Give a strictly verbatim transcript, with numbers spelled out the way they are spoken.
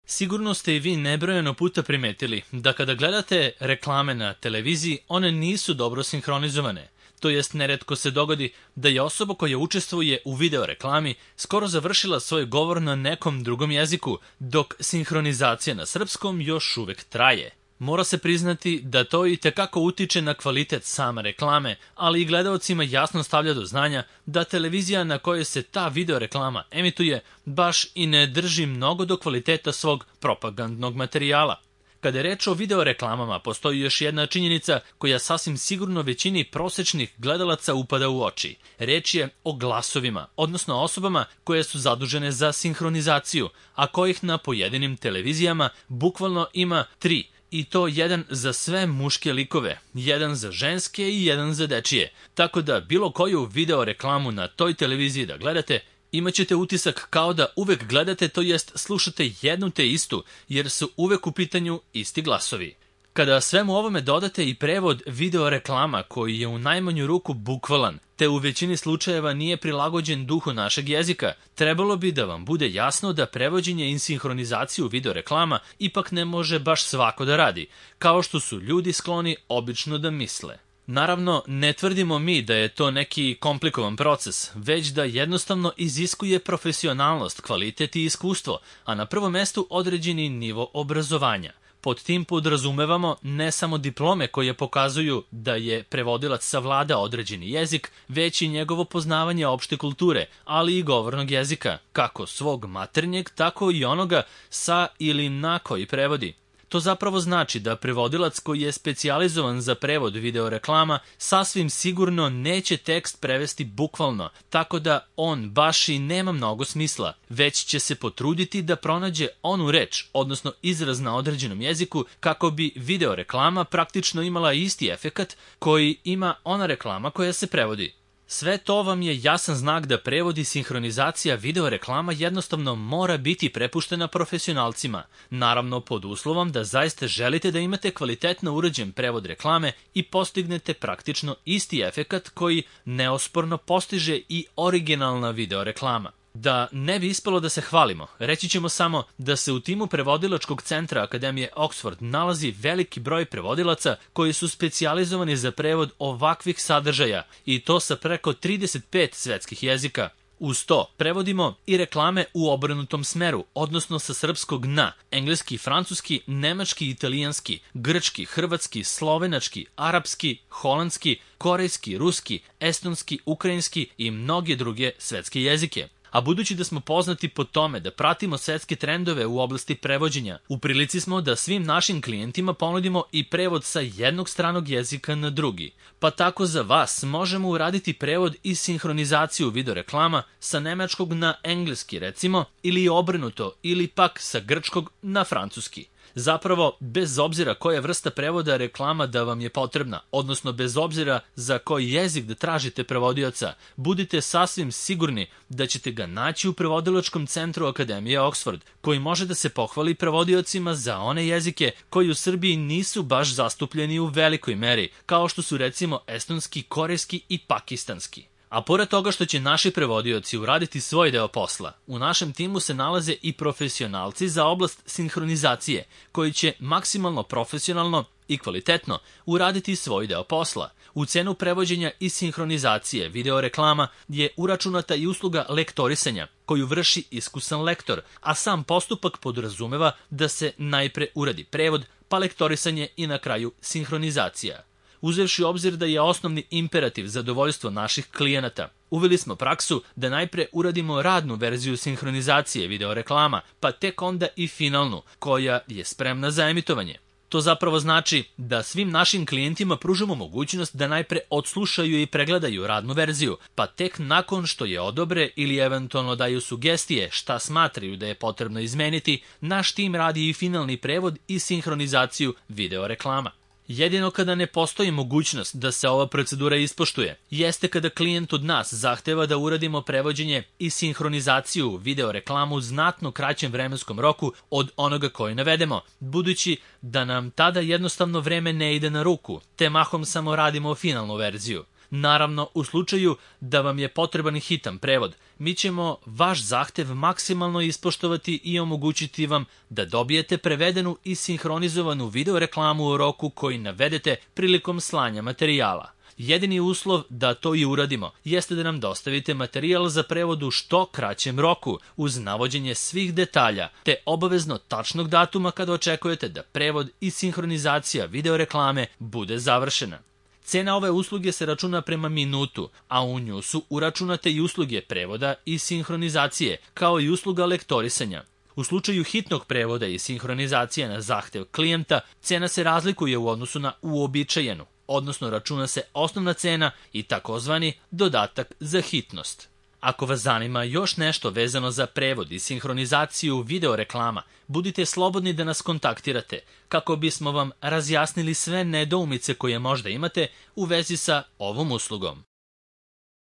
Sigurno ste i vi nebrojeno puta primetili da kada gledate reklame na televiziji, one nisu dobro sinhronizovane. To jest, neretko se dogodi da je osoba koja učestvuje u video reklami skoro završila svoj govor na nekom drugom jeziku, dok sinhronizacija na srpskom još uvek traje. Mora se priznati da to i tekako utiče na kvalitet same reklame, ali i gledaocima jasno stavlja do znanja da televizija na kojoj se ta video reklama emituje baš i ne drži mnogo do kvaliteta svog propagandnog materijala. Kada je reč o video reklamama, postoji još jedna činjenica koja sasvim sigurno većini prosečnih gledalaca upada u oči. Reč je o glasovima, odnosno osobama koje su zadužene za sinhronizaciju, a kojih na pojedinim televizijama bukvalno ima tri. I to jedan za sve muške likove, jedan za ženske i jedan za dečije. Tako da bilo koju video reklamu na toj televiziji da gledate, imat ćete utisak kao da uvek gledate, to jest slušate jednu te istu, jer su uvek u pitanju isti glasovi. Kada svemu ovome dodate i prevod video reklama koji je u najmanju ruku bukvalan, te u većini slučajeva nije prilagođen duhu našeg jezika, trebalo bi da vam bude jasno da prevođenje i sinhronizaciju video reklama ipak ne može baš svako da radi, kao što su ljudi skloni obično da misle. Naravno, ne tvrdimo mi da je to neki komplikovan proces, već da jednostavno iziskuje profesionalnost, kvalitet i iskustvo, a na prvom mestu određeni nivo obrazovanja. Pod tim podrazumevamo ne samo diplome koje pokazuju da je prevodilac savlada određeni jezik, već i njegovo poznavanje opšte kulture, ali i govornog jezika, kako svog maternjeg, tako i onoga sa ili na koji prevodi. To zapravo znači da prevodilac koji je specijalizovan za prevod video reklama sasvim sigurno neće tekst prevesti bukvalno, tako da on baš i nema mnogo smisla, već će se potruditi da pronađe onu reč, odnosno izraz na određenom jeziku, kako bi video reklama praktično imala isti efekat koji ima ona reklama koja se prevodi. Sve to vam je jasan znak da prevod i sinhronizacija video reklama jednostavno mora biti prepuštena profesionalcima, naravno pod uslovom da zaista želite da imate kvalitetno urađen prevod reklame i postignete praktično isti efekat koji neosporno postiže i originalna video reklama. Da ne bi ispalo da se hvalimo, reći ćemo samo da se u timu prevodilačkog centra Akademije Oxford nalazi veliki broj prevodilaca koji su specijalizovani za prevod ovakvih sadržaja i to sa preko trideset pet svetskih jezika. Uz to prevodimo i reklame u obrnutom smeru, odnosno sa srpskog na engleski, francuski, nemački, italijanski, grčki, hrvatski, slovenački, arapski, holandski, korejski, ruski, estonski, ukrajinski i mnoge druge svetske jezike. A budući da smo poznati po tome da pratimo svetske trendove u oblasti prevođenja, u prilici smo da svim našim klijentima ponudimo i prevod sa jednog stranog jezika na drugi. Pa tako za vas možemo uraditi prevod i sinhronizaciju video reklama sa nemačkog na engleski recimo, ili obrnuto, ili pak sa grčkog na francuski. Zapravo, bez obzira koja vrsta prevoda reklama da vam je potrebna, odnosno bez obzira za koji jezik da tražite prevodioca, budite sasvim sigurni da ćete ga naći u prevodilačkom centru Akademije Oxford, koji može da se pohvali prevodiocima za one jezike koji u Srbiji nisu baš zastupljeni u velikoj meri, kao što su recimo estonski, korejski i pakistanski. A pored toga što će naši prevodioci uraditi svoj deo posla, u našem timu se nalaze i profesionalci za oblast sinhronizacije, koji će maksimalno profesionalno i kvalitetno uraditi svoj deo posla. U cenu prevođenja i sinhronizacije video reklama je uračunata i usluga lektorisanja, koju vrši iskusan lektor, a sam postupak podrazumeva da se najpre uradi prevod, pa lektorisanje i na kraju sinhronizacija. Uzevši u obzir da je osnovni imperativ zadovoljstvo naših klijenata, uveli smo praksu da najpre uradimo radnu verziju sinhronizacije video reklama, pa tek onda i finalnu, koja je spremna za emitovanje. To zapravo znači da svim našim klijentima pružamo mogućnost da najpre odslušaju i pregledaju radnu verziju, pa tek nakon što je odobre ili eventualno daju sugestije šta smatraju da je potrebno izmeniti, naš tim radi i finalni prevod i sinhronizaciju video reklama. Jedino kada ne postoji mogućnost da se ova procedura ispoštuje, jeste kada klijent od nas zahteva da uradimo prevođenje i sinhronizaciju video reklamu u znatno kraćem vremenskom roku od onoga koji navedemo, budući da nam tada jednostavno vreme ne ide na ruku, te mahom samo radimo finalnu verziju. Naravno, u slučaju da vam je potreban hitan prevod, mi ćemo vaš zahtev maksimalno ispoštovati i omogućiti vam da dobijete prevedenu i sinhronizovanu video reklamu u roku koji navedete prilikom slanja materijala. Jedini uslov da to i uradimo jeste da nam dostavite materijal za prevod u što kraćem roku uz navođenje svih detalja te obavezno tačnog datuma kada očekujete da prevod i sinhronizacija video reklame bude završena. Cena ove usluge se računa prema minutu, a u nju su uračunate i usluge prevoda i sinhronizacije, kao i usluga lektorisanja. U slučaju hitnog prevoda i sinhronizacije na zahtev klijenta, cena se razlikuje u odnosu na uobičajenu, odnosno računa se osnovna cena i takozvani dodatak za hitnost. Ako vas zanima još nešto vezano za prevod i sinhronizaciju video reklama, budite slobodni da nas kontaktirate kako bismo vam razjasnili sve nedoumice koje možda imate u vezi sa ovom uslugom.